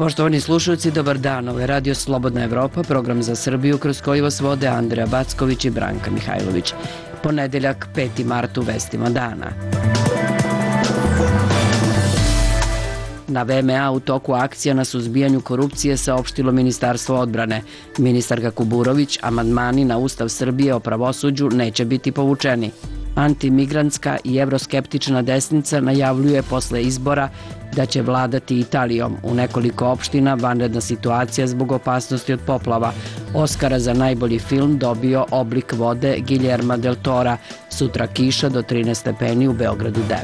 Poštovani slušalci, dobar dan. Ovo je Radio Slobodna Evropa, program za Srbiju kroz koji vas vode Andreja Backović i Branka Mihajlović. Ponedeljak, 5. mart u vestima dana. Na VMA u toku akcija na suzbijanju korupcije saopštilo Ministarstvo odbrane. Ministarka Kuburović, amandmani na Ustav Srbije o pravosuđu neće biti povučeni. Antimigrantska i evroskeptična desnica najavljuje posle izbora da će vladati Italijom. U nekoliko opština vanredna situacija zbog opasnosti od poplava. Oskara za najbolji film dobio Oblik vode Guillerma del Tora. Sutra kiša do 13 stepeni, u Beogradu 9.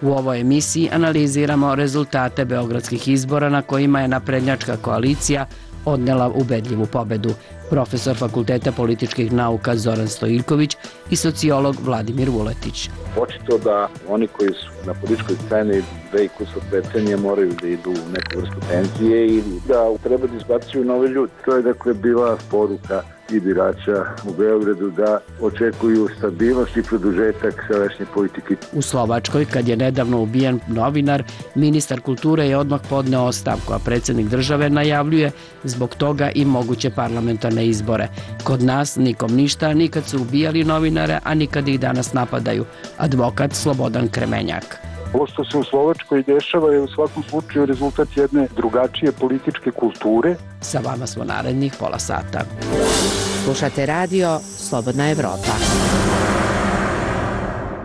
U ovoj emisiji analiziramo rezultate beogradskih izbora na kojima je naprednjačka koalicija odnela ubedljivu pobedu. Profesor Fakulteta političkih nauka Zoran Stojiljković i sociolog Vladimir Vuletić. Očito da oni koji su na političkoj sceni 2,5 decenije moraju da idu u neku vrstu penzije ili da treba da izbacuju nove ljude. To je dakle bila poruka i birača u Beogradu da očekuju stabilnost i produžetak sadašnje politike. U Slovačkoj, kad je nedavno ubijen novinar, ministar kulture je odmah podneo ostavku, a predsjednik države najavljuje zbog toga i moguće parlamentarne izbore. Kod nas nikom ništa, nikad su ubijali novinare, a nikad ih danas napadaju. Advokat Slobodan Kremenjak. Ovo što se u Slovačkoj dešava je u svakom slučaju rezultat jedne drugačije političke kulture. Sa vama smo narednih pola sata. Slušate radio Slobodna Evropa.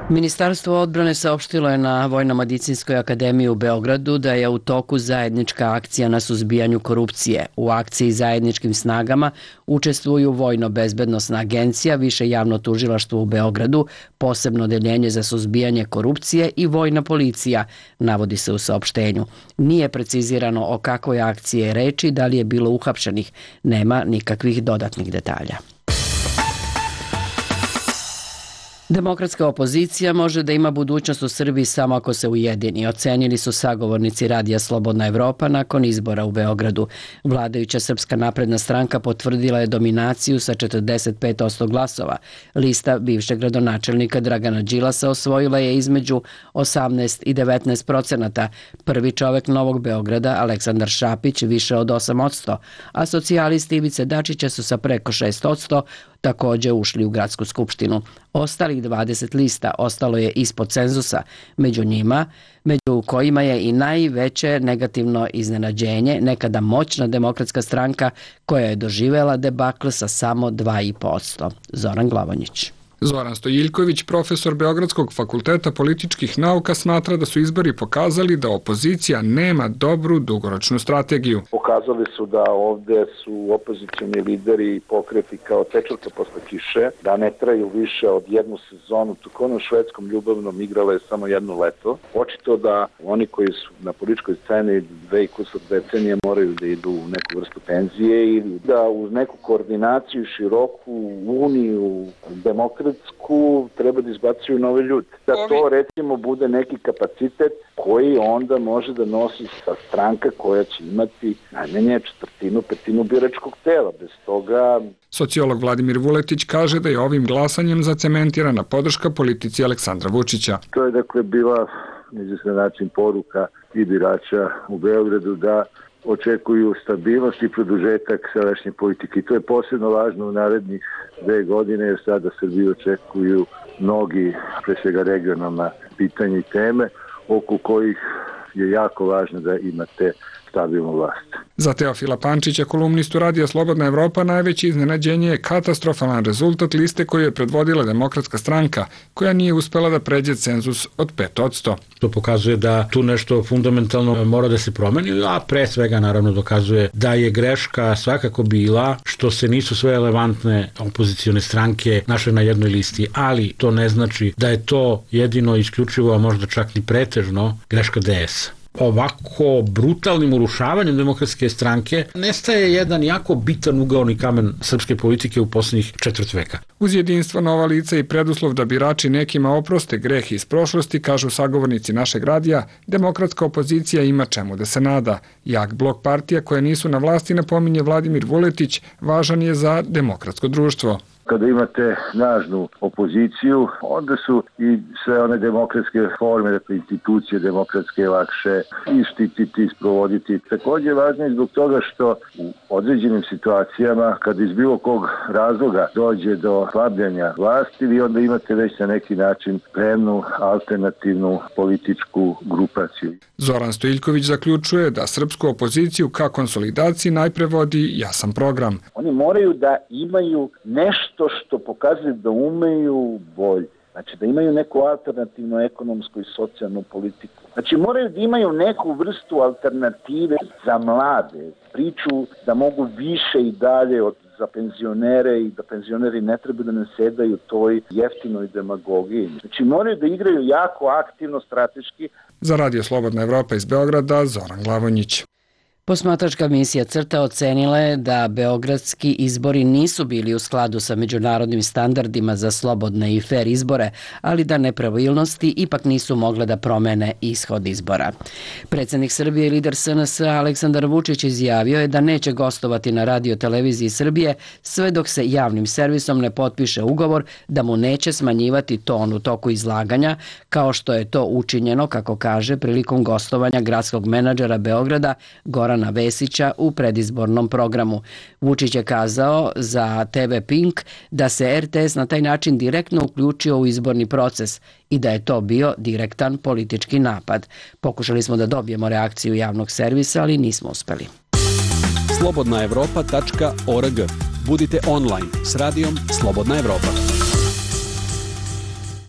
Ministarstvo odbrane saopštilo je na Vojno-medicinskoj akademiji u Beogradu da je u toku zajednička akcija na suzbijanju korupcije. U akciji zajedničkim snagama učestvuju Vojno-bezbednosna agencija, Više javno tužilaštvo u Beogradu, posebno odeljenje za suzbijanje korupcije i Vojna policija, navodi se u saopštenju. Nije precizirano o kakvoj akciji je reč i da li je bilo uhapšenih. Nema nikakvih dodatnih detalja. Demokratska opozicija može da ima budućnost u Srbiji samo ako se ujedini, ocenili su sagovornici Radija Slobodna Evropa nakon izbora u Beogradu. Vladajuća Srpska napredna stranka potvrdila je dominaciju sa 45% glasova. Lista bivšeg gradonačelnika Dragana Đilasa osvojila je između 18 i 19%. Prvi čovek Novog Beograda, Aleksandar Šapić, više od 8%, a socijalisti Ivice Dačića su sa preko 6% takođe ušli u gradsku skupštinu. Ostalih 20 lista ostalo je ispod cenzusa, među kojima je i najveće negativno iznenađenje nekada moćna Demokratska stranka koja je doživela debakl sa samo 2,5%. Zoran Glavonjić. Zoran Stojiljković, profesor Beogradskog fakulteta političkih nauka, smatra da su izbori pokazali da opozicija nema dobru dugoročnu strategiju. Pokazali su da ovde su opozicioni lideri i pokreti kao tečorka posle kiše, da ne traju više od jednu sezonu, tako na švedskom ljubavnom igrala je samo jedno leto. Očito da oni koji su na političkoj sceni 2,5 decenije moraju da idu u neku vrstu penzije ili da uz neku koordinaciju, široku uniju, demokratsku, treba da izbacuju nove ljude. Da to recimo bude neki kapacitet koji onda može da nosi sa stranka koja će imati najmanje 1/4 biračkog tela. Bez toga... Sociolog Vladimir Vuletić kaže da je ovim glasanjem zacementirana podrška politici Aleksandra Vučića. To je dakle bila na izvestan način poruka i birača u Beogradu da očekuju stabilnost i produžetak sadašnje politike. I to je posebno važno u narednih 2 godine, jer sada Srbiju očekuju mnogi, pre svega regionalna pitanja i teme, oko kojih je jako važno da imate stabilnu vlast. Za Teofila Pančića, kolumnistu Radija Slobodna Evropa, najveće iznenađenje je katastrofalan rezultat liste koju je predvodila Demokratska stranka, koja nije uspela da pređe cenzus od 5%. To pokazuje da tu nešto fundamentalno mora da se promeni, a pre svega naravno dokazuje da je greška svakako bila što se nisu sve relevantne opozicione stranke našle na jednoj listi, ali to ne znači da je to jedino isključivo, a možda čak ni pretežno, greška DS. Ovako brutalnim urušavanjem Demokratske stranke nestaje jedan jako bitan ugaoni kamen srpske politike u poslednjih 4 veka. Uz jedinstvo, nova lica i preduslov da birači nekima oproste greh iz prošlosti, kažu sagovornici našeg radija, demokratska opozicija ima čemu da se nada. Jak blok partija koje nisu na vlasti, napominje Vladimir Vuletić, važan je za demokratsko društvo. Kada imate snažnu opoziciju, onda su i sve one demokratske forme, dakle institucije demokratske lakše i štititi, sprovoditi. Također je važno i zbog toga što u određenim situacijama, kada iz bilo kog razloga dođe do slabljanja vlasti, vi onda imate već na neki način spremnu alternativnu političku grupaciju. Zoran Stojiljković zaključuje da srpsku opoziciju ka konsolidaciji najpre vodi jasan program. Oni moraju da imaju nešto što pokazuje da umeju bolje. Znači da imaju neku alternativnu ekonomsku i socijalnu politiku. Znači moraju da imaju neku vrstu alternative za mlade. Priču da mogu više i dalje za penzionere i da penzioneri ne treba da nasedaju toj jeftinoj demagogiji. Znači moraju da igraju jako aktivno, strateški. Za Radio Slobodna Evropa iz Beograda, Zoran Glavonjić. Posmatračka misija CRTA ocenila je da beogradski izbori nisu bili u skladu sa međunarodnim standardima za slobodne i fer izbore, ali da nepravilnosti ipak nisu mogle da promene ishod izbora. Predsjednik Srbije i lider SNS Aleksandar Vučić izjavio je da neće gostovati na Radio televiziji Srbije sve dok se javnim servisom ne potpiše ugovor da mu neće smanjivati ton u toku izlaganja, kao što je to učinjeno, kako kaže, prilikom gostovanja gradskog menadžera Beograda Gorana Vesića u predizbornom programu. Vučić je kazao za TV Pink da se RTS na taj način direktno uključio u izborni proces i da je to bio direktan politički napad. Pokušali smo da dobijemo reakciju javnog servisa, ali nismo uspeli. slobodnaevropa.org. Budite online s radijom Slobodna Evropa.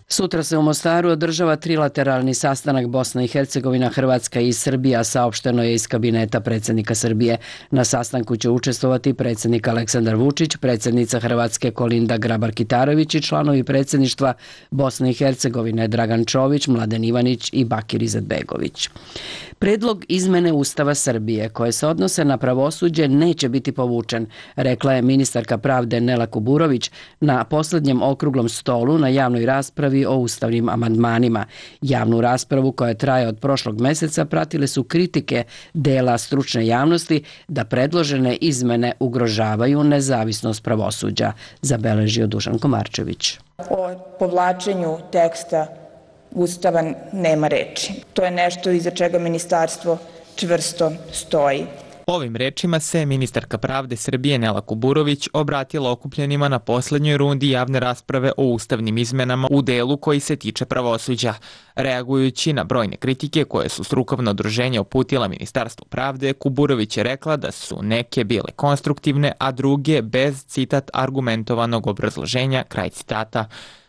Sutra se u Mostaru održava trilateralni sastanak Bosna i Hercegovina, Hrvatska i Srbija, saopšteno je iz kabineta predsjednika Srbije. Na sastanku će učestvovati predsjednik Aleksandar Vučić, predsjednica Hrvatske Kolinda Grabar-Kitarović i članovi predsjedništva Bosne i Hercegovine Dragan Čović, Mladen Ivanić i Bakir Izetbegović. Predlog izmene Ustava Srbije koje se odnose na pravosuđe neće biti povučen, rekla je ministarka pravde Nela Kuburović na posljednjem okruglom stolu na javnoj raspravi o ustavnim amandmanima. Javnu raspravu koja traje od prošlog meseca pratile su kritike dela stručne javnosti da predložene izmene ugrožavaju nezavisnost pravosuđa, zabeležio Dušan Komarčević. O povlačenju teksta Ustava nema reči. To je nešto iza čega ministarstvo čvrsto stoji. Ovim rečima se ministarka pravde Srbije Nela Kuburović obratila okupljenima na posljednjoj rundi javne rasprave o ustavnim izmenama u delu koji se tiče pravosuđa. Reagujući na brojne kritike koje su strukovno udruženje uputila Ministarstvu pravde, Kuburović je rekla da su neke bile konstruktivne, a druge bez, citat, argumentovanog obrazloženja, kraj citata.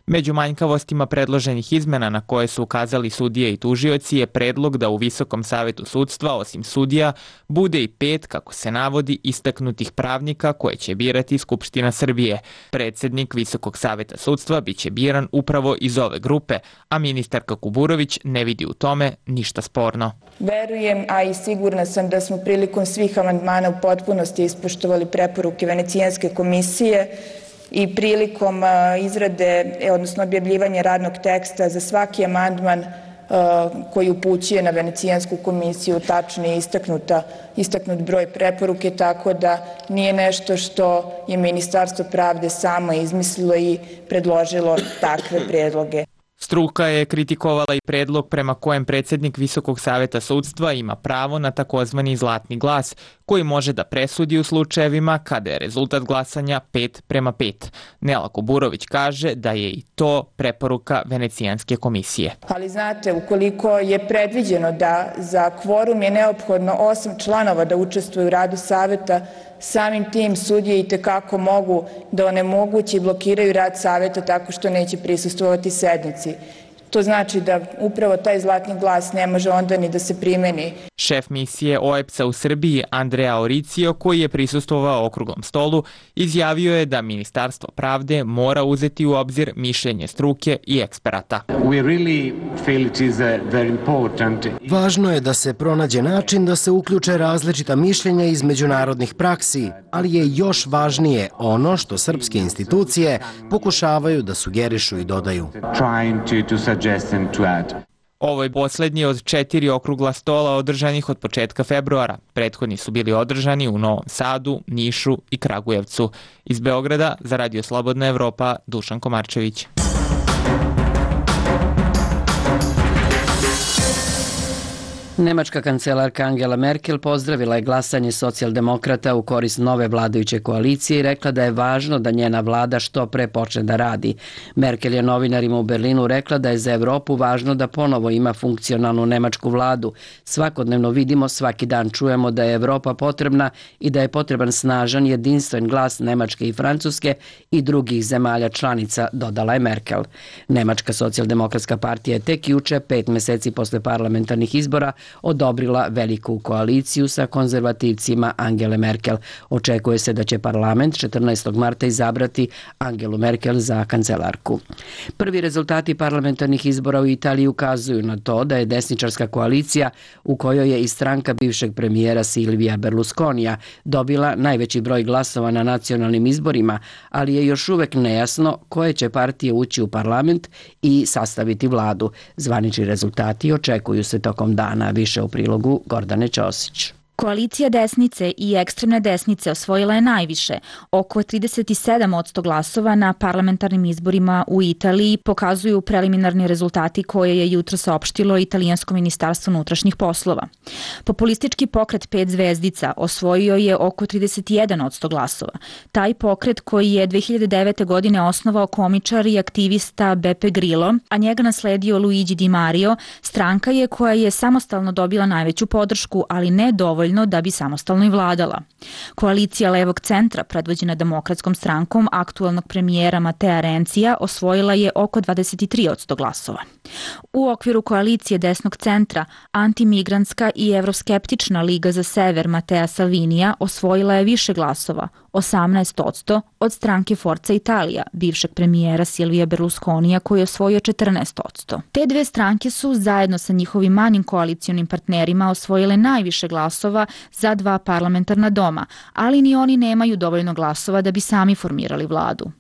Među manjkavostima predloženih izmena na koje su ukazali sudije i tužioci je predlog da u Visokom savetu sudstva, osim sudija, bude i 5, kako se navodi, istaknutih pravnika koje će birati Skupština Srbije. Predsjednik Visokog saveta sudstva biće biran upravo iz ove grupe, a ministarka Kuburović ne vidi u tome ništa sporno. Verujem, a i sigurna sam da smo prilikom svih amandmana u potpunosti ispoštovali preporuke Venecijanske komisije i prilikom izrade, odnosno objavljivanja radnog teksta za svaki amandman koji upućuje na Venecijansku komisiju tačno je istaknut broj preporuke, tako da nije nešto što je Ministarstvo pravde samo izmislilo i predložilo takve predloge. Struka je kritikovala i predlog prema kojem predsjednik Visokog saveta sudstva ima pravo na takozvani zlatni glas, koji može da presudi u slučajevima kada je rezultat glasanja 5:5. Nela Kuburović kaže da je i to preporuka Venecijanske komisije. Ali znate, ukoliko je predviđeno da za kvorum je neophodno 8 članova da učestvuju u radu saveta, samim tim sudije i tekako mogu da onemoguće i blokiraju rad saveta tako što neće prisustvovati sednici. To znači da upravo taj zlatni glas ne može onda ni da se primeni. Šef misije OEBS-a u Srbiji, Andrea Oricio, koji je prisustvovao okruglom stolu, izjavio je da Ministarstvo pravde mora uzeti u obzir mišljenje struke i eksperata. Važno je da se pronađe način da se uključe različita mišljenja iz međunarodnih praksi, ali je još važnije ono što srpske institucije pokušavaju da sugerišu i dodaju. Ovo je poslednji od 4 okrugla stola održanih od početka februara. Prethodni su bili održani u Novom Sadu, Nišu i Kragujevcu. Iz Beograda za Radio Slobodna Evropa, Dušan Komarčević. Nemačka kancelarka Angela Merkel pozdravila je glasanje socijaldemokrata u korist nove vladajuće koalicije i rekla da je važno da njena vlada što pre počne da radi. Merkel je novinarima u Berlinu rekla da je za Evropu važno da ponovo ima funkcionalnu nemačku vladu. Svakodnevno vidimo, svaki dan čujemo da je Evropa potrebna i da je potreban snažan, jedinstven glas Nemačke i Francuske i drugih zemalja članica, dodala je Merkel. Nemačka socijaldemokratska partija je tek juče, 5 meseci posle parlamentarnih izbora, odobrila veliku koaliciju sa konzervativcima Angele Merkel. Očekuje se da će parlament 14. marta izabrati Angelu Merkel za kancelarku. Prvi rezultati parlamentarnih izbora u Italiji ukazuju na to da je desničarska koalicija, u kojoj je i stranka bivšeg premijera Silvija Berlusconija, dobila najveći broj glasova na nacionalnim izborima, ali je još uvek nejasno koje će partije ući u parlament i sastaviti vladu. Zvanični rezultati očekuju se tokom dana. Više u prilogu Gordane Ćosić. Koalicija desnice i ekstremne desnice osvojila je najviše, oko 37% glasova na parlamentarnim izborima u Italiji, pokazuju preliminarni rezultati koje je jutro saopštilo Italijansko ministarstvo unutrašnjih poslova. Populistički pokret 5 zvezdica osvojio je oko 31% glasova. Taj pokret, koji je 2009. godine osnovao komičar i aktivista Beppe Grillo, a njega nasledio Luigi Di Mario, stranka je koja je samostalno dobila najveću podršku, ali ne dovoljno da bi samostalno i vladala. Koalicija levog centra, predvođena Demokratskom strankom aktuelnog premijera Matea Rencija, osvojila je oko 23% glasova. U okviru koalicije desnog centra, antimigrantska i evroskeptična Liga za sever Matea Salvinija osvojila je više glasova, 18%, od stranke Forza Italia, bivšeg premijera Silvija Berlusconija, koji je osvojio 14%. Te dve stranke su zajedno sa njihovim manjim koalicionim partnerima osvojile najviše glasova za 2 parlamentarna doma, ali ni oni nemaju dovoljno glasova da bi sami formirali vladu.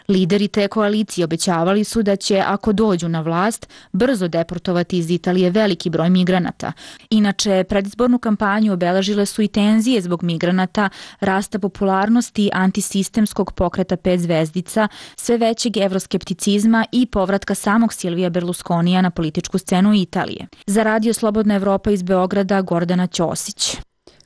Lideri te koalicije obećavali su da će, ako dođu na vlast, brzo deportovati iz Italije veliki broj migranata. Inače, predizbornu kampanju obeležile su i tenzije zbog migranata, rasta popularnosti antisistemskog pokreta 5 zvezdica, sve većeg evroskepticizma i povratka samog Silvija Berlusconija na političku scenu Italije. Za Radio Slobodna Evropa iz Beograda, Gordana Ćosić.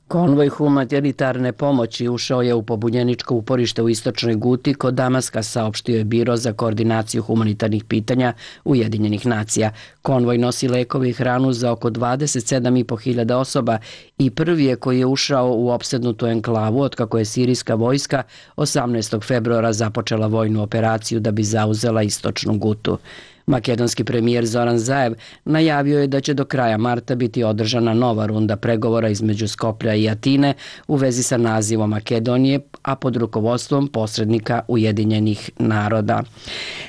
Konvoj humanitarne pomoći ušao je u pobunjeničko uporište u istočnoj Guti kod Damaska, saopštio je Biro za koordinaciju humanitarnih pitanja Ujedinjenih nacija. Konvoj nosi lekove i hranu za oko 27.500 osoba i prvi je koji je ušao u opsednutu enklavu otkako je sirijska vojska 18. februara započela vojnu operaciju da bi zauzela istočnu Gutu. Makedonski premijer Zoran Zaev najavio je da će do kraja marta biti održana nova runda pregovora između Skoplja i Atine u vezi sa nazivom Makedonije, a pod rukovodstvom posrednika Ujedinjenih naroda.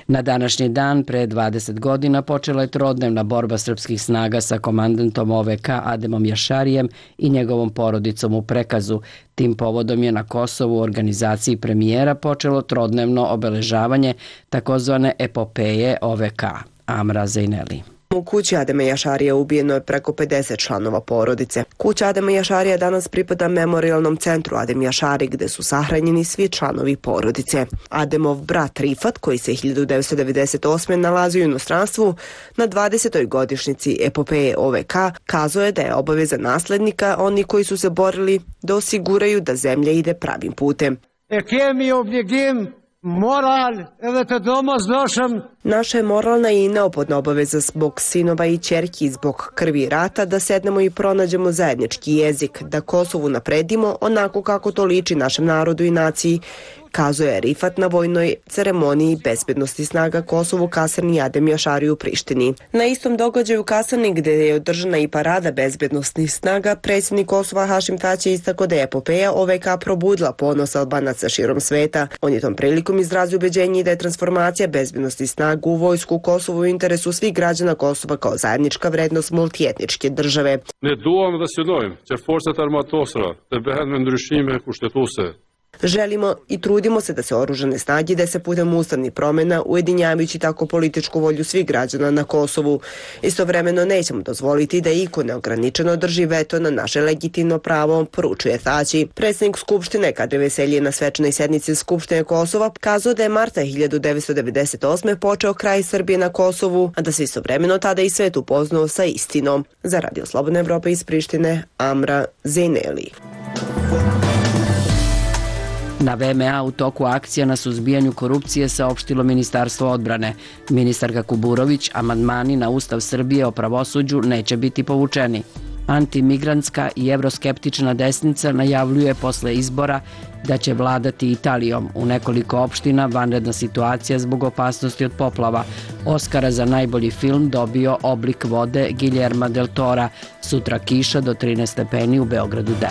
Na današnji dan, pre 20 godina, počela je trodnevna borba srpskih snaga sa komandantom OVK Ademom Jašarijem i njegovom porodicom u Prekazu. Tim povodom je na Kosovu u organizaciji premijera počelo trodnevno obeležavanje takozvane epopeje OVK. Amra Zejneli. U kući Adema Jašarija ubijeno je preko 50 članova porodice. Kuća Adema Jašarija danas pripada memorialnom centru Adem Jašari, gde su sahranjeni svi članovi porodice. Ademov brat Rifat, koji se 1998. nalazio u inostranstvu, na 20. godišnjici epopeje OVK, kazao je da je obaveza naslednika oni koji su se borili da osiguraju da zemlja ide pravim putem. Naša je moralna i neophodna obaveza zbog sinova i ćerki, zbog krvi rata, da sednemo i pronađemo zajednički jezik, da Kosovu napredimo onako kako to liči našem narodu i naciji, kazao je Rifat na vojnoj ceremoniji bezbednosti snaga Kosovu kasarni Adem Jašari u Prištini. Na istom događaju u kasarni, gde je održana i parada bezbednostnih snaga, predsjednik Kosova Hašim Tači istakao da je epopeja OVK probudila ponos Albanaca širom sveta. On je tom prilikom izrazio ubeđenje da je transformacija bezbednosti snaga u vojsku Kosovu u interesu svih građana Kosova kao zajednička vrednost multietničke države. Ne duam dhe synojmë që forcat armatosura të bëhen me ndryshime kushtetuese. Želimo i trudimo se da se oružane snage dese putem ustavnih promjena, ujedinjavajući tako političku volju svih građana na Kosovu. Istovremeno nećemo dozvoliti da iko neograničeno drži veto na naše legitimno pravo, poručuje Thaci. Predsjednik Skupštine Kadri Veselji na svečanoj sednici Skupštine Kosova kazao da je marta 1998. počeo kraj Srbije na Kosovu, a da se istovremeno tada i svet upoznao sa istinom. Za Radio Slobodna Evropa iz Prištine, Amra Zejneli. Na VMA u toku akcija na suzbijanju korupcije saopštilo Ministarstvo odbrane. Ministarka Kuburović, amandmani na Ustav Srbije o pravosuđu neće biti povučeni. Antimigrantska i evroskeptična desnica najavljuje posle izbora da će vladati Italijom. U nekoliko opština vanredna situacija zbog opasnosti od poplava. Oskara za najbolji film dobio Oblik vode Guillerma del Tora. Sutra kiša do 13 stepeni, u Beogradu 9.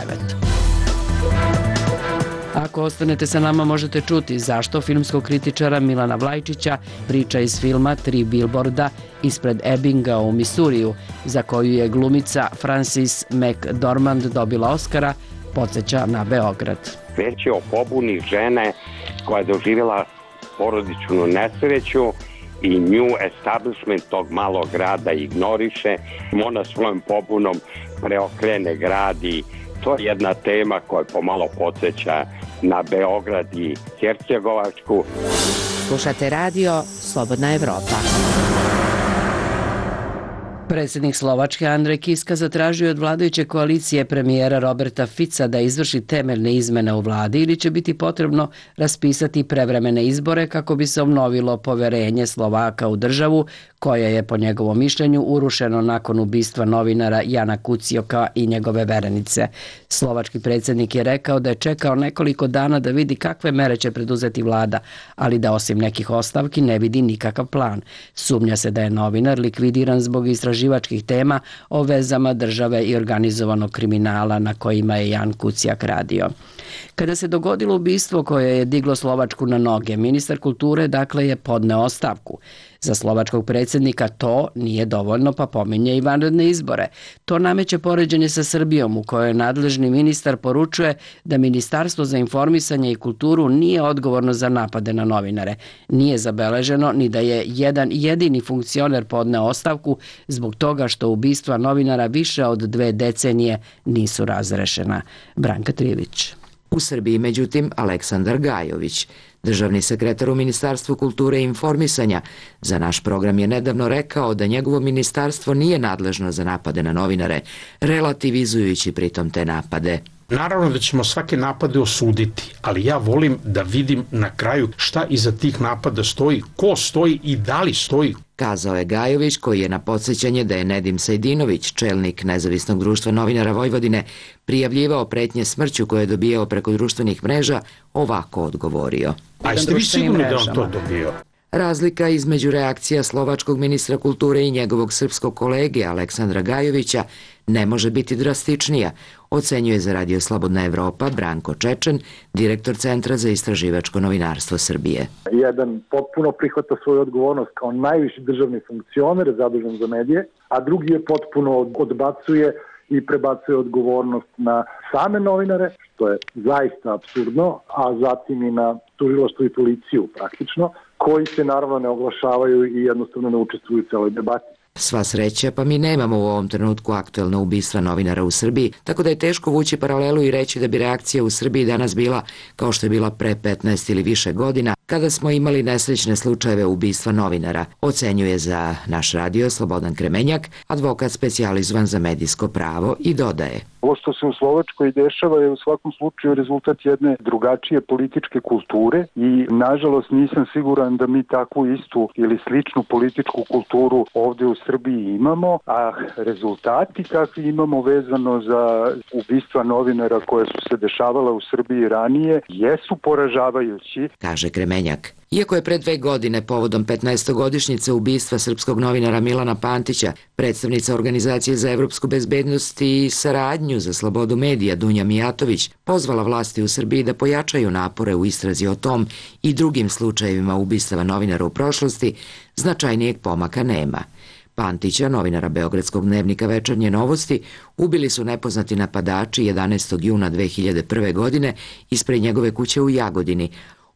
Ako ostanete sa nama možete čuti zašto filmskog kritičara Milana Vlajčića priča iz filma Tri bilborda ispred Ebbinga u Misuriju, za koju je glumica Frances McDormand dobila Oskara, podsjeća na Beograd. Već je o pobuni žene koja je doživjela porodičnu nesreću i nju establishment tog malog grada ignoriše. Ona svojom pobunom preokrene grad i to je jedna tema koja pomalo podsjeća na Beograd i Hercegovačku. Slušate radio Slobodna Evropa. Predsjednik Slovačke Andrej Kiska zatražio od vladajuće koalicije premijera Roberta Fica da izvrši temeljne izmene u vladi ili će biti potrebno raspisati prevremene izbore kako bi se obnovilo poverenje Slovaka u državu koja je po njegovom mišljenju urušeno nakon ubistva novinara Jana Kucioka i njegove verenice. Slovački predsjednik je rekao da je čekao nekoliko dana da vidi kakve mere će preduzeti vlada, ali da osim nekih ostavki ne vidi nikakav plan. Sumnja se da je novinar likvidiran zbog istraživačkih tema o vezama države i organizovanog kriminala na kojima je Jan Kuciak radio. Kada se dogodilo ubistvo koje je diglo Slovačku na noge, ministar kulture dakle je podneo ostavku. Za slovačkog predsjednika to nije dovoljno, pa pominje i vanredne izbore. To nameće poređenje sa Srbijom u kojoj nadležni ministar poručuje da Ministarstvo za informisanje i kulturu nije odgovorno za napade na novinare. Nije zabeleženo ni da je jedan jedini funkcioner podneo ostavku zbog toga što ubistva novinara više od 2 decenije nisu razrešena. Branka Trivić. U Srbiji, međutim, Aleksandar Gajović, državni sekretar u Ministarstvu kulture i informisanja, za naš program je nedavno rekao da njegovo ministarstvo nije nadležno za napade na novinare, relativizujući pritom te napade. Naravno da ćemo svake napade osuditi, ali ja volim da vidim na kraju šta iza tih napada stoji, ko stoji i da li stoji. Kazao je Gajović, koji je na podsjećanje da je Nedim Sajdinović, čelnik Nezavisnog društva novinara Vojvodine, prijavljivao pretnje smrću koje je dobijao preko društvenih mreža, ovako odgovorio. A jeste vi sigurni da on to dobio? Razlika između reakcija slovačkog ministra kulture i njegovog srpskog kolege Aleksandra Gajovića ne može biti drastičnija, ocenjuje za Radio Slobodna Evropa Branko Čečen, direktor Centra za istraživačko novinarstvo Srbije. Jedan potpuno prihvata svoju odgovornost kao najviši državni funkcioner zadužen za medije, a drugi je potpuno odbacuje i prebacuje odgovornost na same novinare, što je zaista apsurdno, a zatim i na tužilaštvo i policiju praktično, koji se naravno ne oglašavaju i jednostavno ne učestvuju u celoj debati. Sva sreća, pa mi nemamo u ovom trenutku aktuelno ubistva novinara u Srbiji, tako da je teško vući paralelu i reći da bi reakcija u Srbiji danas bila kao što je bila pre 15 ili više godina, kada smo imali nesrećne slučajeve ubistva novinara, ocenjuje za naš radio Slobodan Kremenjak, advokat specijalizovan za medijsko pravo, i dodaje. Ovo što se u Slovačkoj dešava je u svakom slučaju rezultat jedne drugačije političke kulture i nažalost nisam siguran da mi takvu istu ili sličnu političku kulturu ovdje u Srbiji imamo, a rezultati kakvi imamo vezano za ubistva novinara koje su se dešavala u Srbiji ranije jesu poražavajući, kaže Kremenjak. Iako je pre 2 godine povodom 15-godišnjice ubistva srpskog novinara Milana Pantića, predstavnica Organizacije za evropsku bezbednost i saradnju za slobodu medija Dunja Mijatović pozvala vlasti u Srbiji da pojačaju napore u istrazi o tom i drugim slučajevima ubistava novinara u prošlosti, značajnijeg pomaka nema. Pantića, novinara Beogradskog dnevnika Večernje novosti, ubili su nepoznati napadači 11. juna 2001. godine ispred njegove kuće u Jagodini.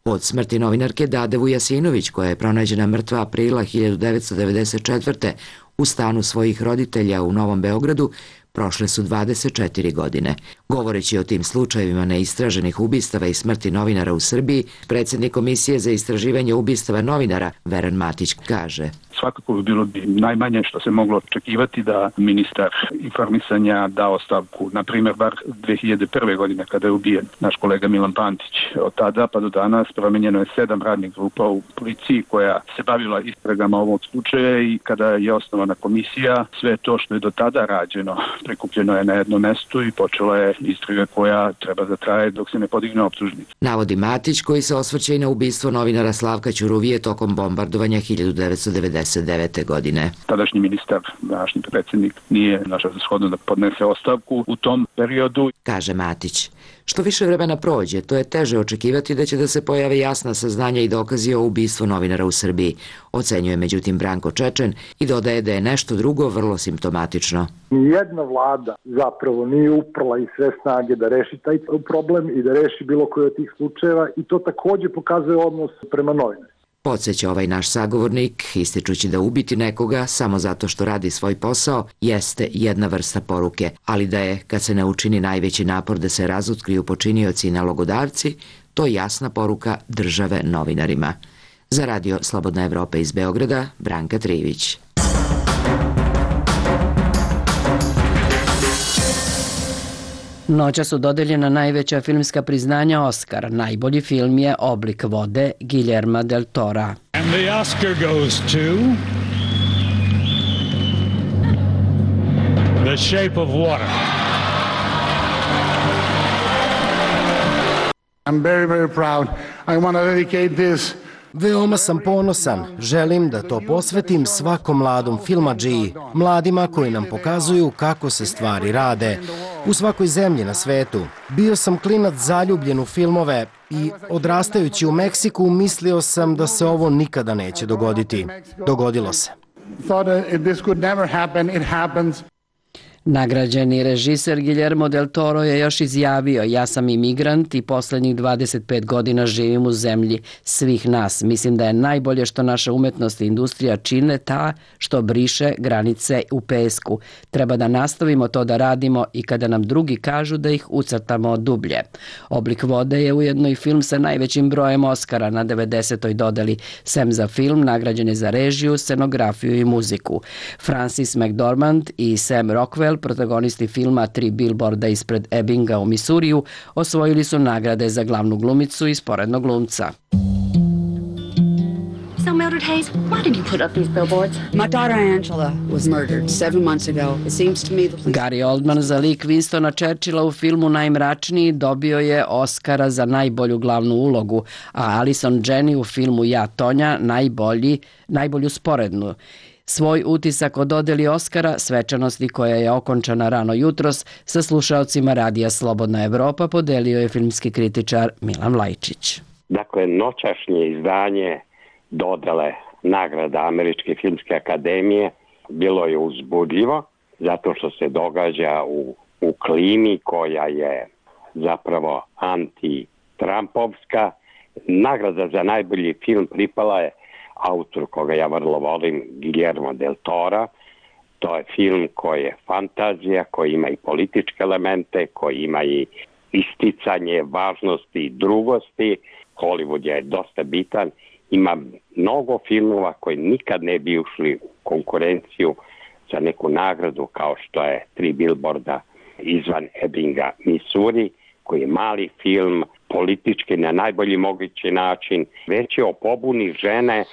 Od smrti novinarke Dade Vujasinović, koja je pronađena mrtva aprila 1994. u stanu svojih roditelja u Novom Beogradu, prošle su 24 godine. Govoreći o tim slučajevima neistraženih ubistava i smrti novinara u Srbiji, predsjednik Komisije za istraživanje ubistava novinara Veran Matić kaže: Svakako bi bilo najmanje što se moglo očekivati da ministar informisanja da ostavku, na primjer, bar 2001. godine kada je ubijen naš kolega Milan Pantić. Od tada pa do danas promenjeno je 7 radnih grupa u policiji koja se bavila istragama ovog slučaja i kada je osnovana komisija, sve to što je do tada rađeno prikupljeno je na jednom mestu i počela je istraga koja treba da traje dok se ne podigne optužnica. Navodi Matić, koji se osvrće i na ubistvo novinara Slavka Ćuruvije tokom bombardovanja 1999. godine. Tadašnji ministar, današnji predsjednik, nije našao za shodno da podnese ostavku u tom periodu. Kaže Matić. Što više vremena prođe, to je teže očekivati da će da se pojave jasna saznanja i dokazi o ubistvu novinara u Srbiji, ocenjuje međutim Branko Čečen i dodaje da je nešto drugo vrlo simptomatično. Nijedna vlada zapravo nije uprla i sve snage da reši taj problem i da reši bilo koji od tih slučajeva i to takođe pokazuje odnos prema novinarima. Podsjeća ovaj naš sagovornik, ističući da ubiti nekoga samo zato što radi svoj posao jeste jedna vrsta poruke, ali da je, kad se ne učini najveći napor da se razotkriju počinioci i nalogodavci, to je jasna poruka države novinarima. Za Radio Slobodna Evropa iz Beograda, Branka Trivić. Noća su dodeljena najveća filmska priznanja Oscar. Najbolji film je Oblik vode Guillerma del Tora. And the Oscar goes to The Shape of Water. I'm very, very proud. I want to dedicate this. Veoma sam ponosan. Želim da to posvetim svakom mladom filmadžiji, mladima koji nam pokazuju kako se stvari rade. U svakoj zemlji na svetu. Bio sam klinac zaljubljen u filmove i odrastajući u Meksiku mislio sam da se ovo nikada neće dogoditi. Dogodilo se. Nagrađeni režiser Guillermo del Toro je još izjavio: ja sam imigrant i poslednjih 25 godina živim u zemlji svih nas. Mislim da je najbolje što naša umetnost i industrija čine ta što briše granice u pesku. Treba da nastavimo to da radimo i kada nam drugi kažu da ih ucrtamo dublje. Oblik vode je ujedno i film sa najvećim brojem Oscara na 90. dodeli. Sem za film, nagrađen je za režiju, scenografiju i muziku. Francis McDormand i Sam Rockwell, protagonisti filma Tri bilborda ispred Ebbinga u Misuriju, osvojili su nagrade za glavnu glumicu i sporednog glumca. So, Mildred Hayes, why did you put up these billboards? My daughter Angela was murdered 7 months ago. It seems to me the police... Gary Oldman za lik Winstona Churchilla u filmu Najmračniji dobio je Oscara za najbolju glavnu ulogu, a Alison Janney u filmu Ja, Tonja najbolju sporednu. Svoj utisak o dodeli Oskara, svečanosti koja je okončana rano jutros, sa slušaocima Radija Slobodna Evropa podelio je filmski kritičar Milan Lajčić. Dakle, noćašnje izdanje dodele nagrada Američke filmske akademije bilo je uzbudljivo, zato što se događa u klimi koja je zapravo anti-Trumpovska. Nagrada za najbolji film pripala je autor koga ja vrlo volim, Guillermo del Tora. To je film koji je fantazija, koji ima i političke elemente, koji ima i isticanje važnosti i drugosti. Hollywood je dosta bitan. Ima mnogo filmova koji nikad ne bi ušli u konkurenciju za neku nagradu, kao što je Tri bilborda izvan Ebbinga, Missouri, koji je mali film, politički na najbolji mogući način. Već je o pobuni žene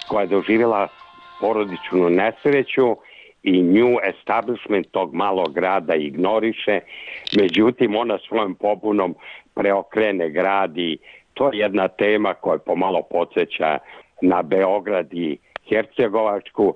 koja je doživjela porodičnu nesreću i nju establishment tog malog grada ignoriše. Međutim, ona svojom pobunom preokrene grad i to je jedna tema koja pomalo podsjeća na Beograd i Hercegovačku.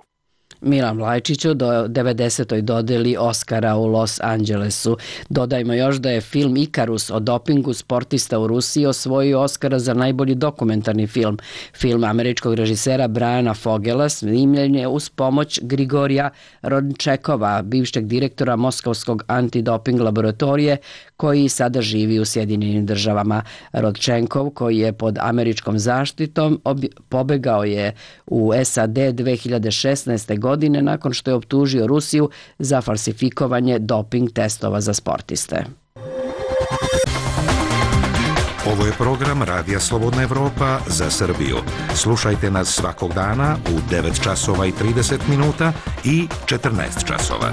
Milan Vlajčiću do 90. dodeli Oskara u Los Angelesu. Dodajmo još da je film Ikarus o dopingu sportista u Rusiji osvojio Oskara za najbolji dokumentarni film. Film američkog režisera Briana Fogela snimljen je uz pomoć Grigorija Rodčekova, bivšeg direktora Moskovskog antidoping laboratorije, koji sada živi u Sjedinjenim državama. Rodčenkov, koji je pod američkom zaštitom, pobegao je u SAD 2016. godine nakon što je optužio Rusiju za falsifikovanje doping testova za sportiste. Ovo je program Radija Slobodna Evropa za Srbiju. Slušajte nas svakog dana u 9 časova i 30 minuta i 14 časova.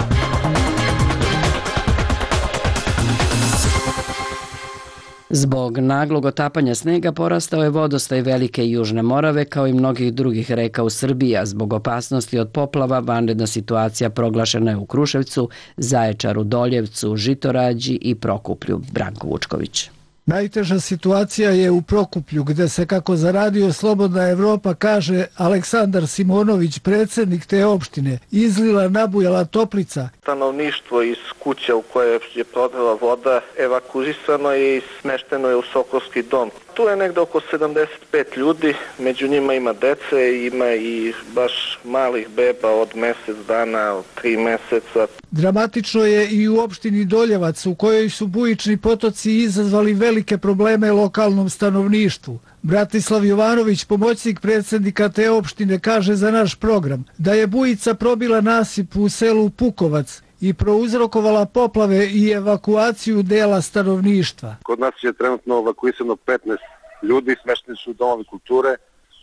Zbog naglog otapanja snega porastao je vodostaj Velike i Južne Morave kao i mnogih drugih reka u Srbiji, a zbog opasnosti od poplava vanredna situacija proglašena je u Kruševcu, Zaječaru, Doljevcu, Žitorađi i Prokuplju. Branko Vučković. Najteža situacija je u Prokuplju, gde se, kako za Radio Slobodna Evropa kaže Aleksandar Simonović, predsjednik te opštine, izlila nabujala toplica. Stanovništvo iz kuća u koje je prodala voda evakuisano je i smešteno je u Sokolski dom. Tu je negde oko 75 ljudi, među njima ima dece, ima i baš malih beba od mjesec dana, od 3 meseca. Dramatično je i u opštini Doljevac, u kojoj su bujični potoci izazvali velike probleme lokalnom stanovništvu. Bratislav Jovanović, pomoćnik predsjednika te opštine, kaže za naš program da je bujica probila nasip u selu Pukovac i prouzrokovala poplave i evakuaciju dela stanovništva. Kod nas je trenutno evakuisano 15 ljudi, smešteni su u domovi kulture,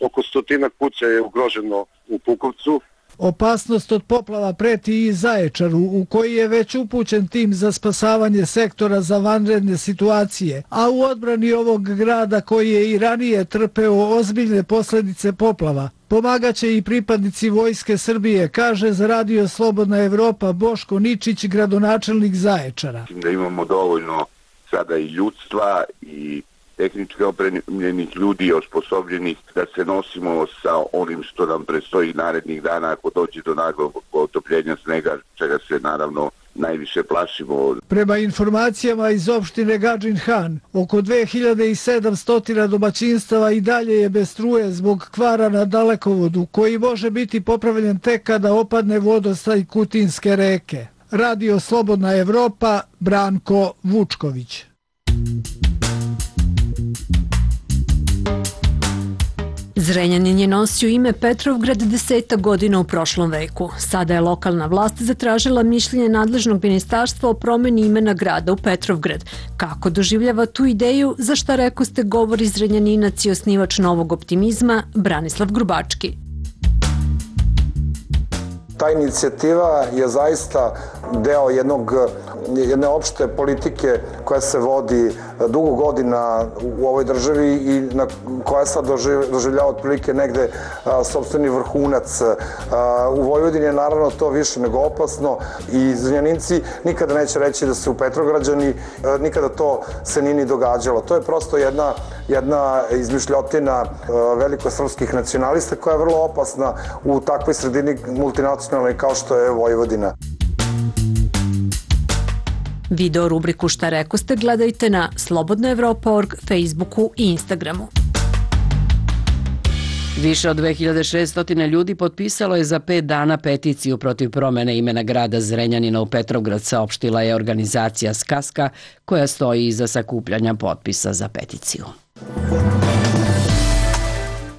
oko 100 kuća je ugroženo u Pukovcu. Opasnost od poplava preti i Zaječaru, u koji je već upućen tim za spasavanje sektora za vanredne situacije, a u odbrani ovog grada koji je i ranije trpeo ozbiljne posljedice poplava, pomagaće i pripadnici Vojske Srbije, kaže za Radio Slobodna Evropa Boško Ničić, gradonačelnik Zaječara. Da imamo dovoljno sada i ljudstva i tehnički opremljenih ljudi, osposobljenih da se nosimo sa onim što nam predstoji narednih dana ako dođe do naglog otopljenja snega, čega se naravno najviše plašimo. Prema informacijama iz opštine Gadžin Han, oko 2700 domaćinstava i dalje je bez struje zbog kvara na dalekovodu, koji može biti popravljen tek kada opadne vodostaj Kutinske reke. Radio Slobodna Evropa, Branko Vučković. Zrenjanin je nosio ime Petrovgrad 10 godina u prošlom veku. Sada je lokalna vlast zatražila mišljenje nadležnog ministarstva o promeni imena grada u Petrovgrad. Kako doživljava tu ideju, za šta rekoste govori Zrenjaninac i osnivač Novog optimizma Branislav Grubački. Ta inicijativa je zaista deo jedne opšte politike koja se vodi dugo godina u ovoj državi i koja sad doživljava otprilike negde sopstveni vrhunac. U Vojvodini je naravno to više nego opasno i Zrenjaninci nikada neće reći da su Petrograđani, nikada to se nije ni događalo. To je prosto jedna izmišljotina velikosrpskih nacionalista koja je vrlo opasna u takvoj sredini multinacionalnoj kao što je Vojvodina. Video rubriku Šta rekoste gledajte na slobodnaevropa.org, Facebooku i Instagramu. Više od 2600 ljudi potpisalo je za 5 dana peticiju protiv promene imena grada Zrenjanina u Petrovgrad, saopštila je organizacija Skaska, koja stoji iza sakupljanja potpisa za peticiju.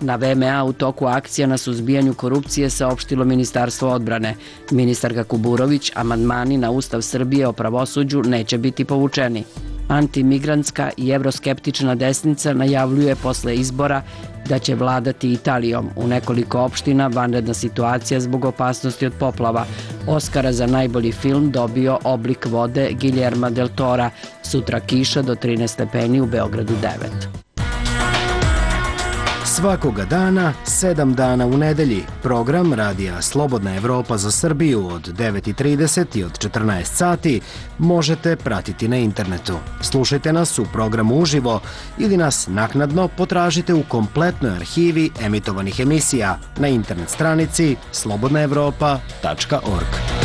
Na VMA u toku akcija na suzbijanju korupcije saopštilo Ministarstvo odbrane. Ministarka Kuburović, amandmani na Ustav Srbije o pravosuđu neće biti povučeni. Antimigrantska i evroskeptična desnica najavljuje posle izbora da će vladati Italijom. U nekoliko opština vanredna situacija zbog opasnosti od poplava. Oskara za najbolji film dobio Oblik vode Guillerma del Tora. Sutra kiša do 13 stepeni, u Beogradu 9. Svakoga dana, 7 dana u nedelji, program Radija Slobodna Evropa za Srbiju od 9:30 i od 14 sati možete pratiti na internetu. Slušajte nas u programu uživo ili nas naknadno potražite u kompletnoj arhivi emitovanih emisija na internet stranici slobodnaevropa.org.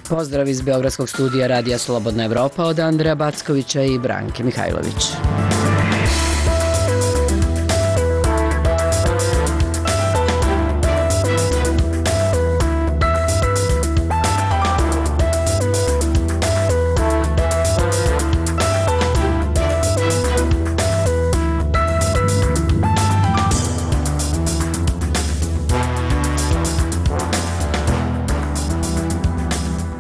Pozdrav iz Beogradskog studija Radija Slobodna Evropa od Andreja Backovića i Branke Mihajlović.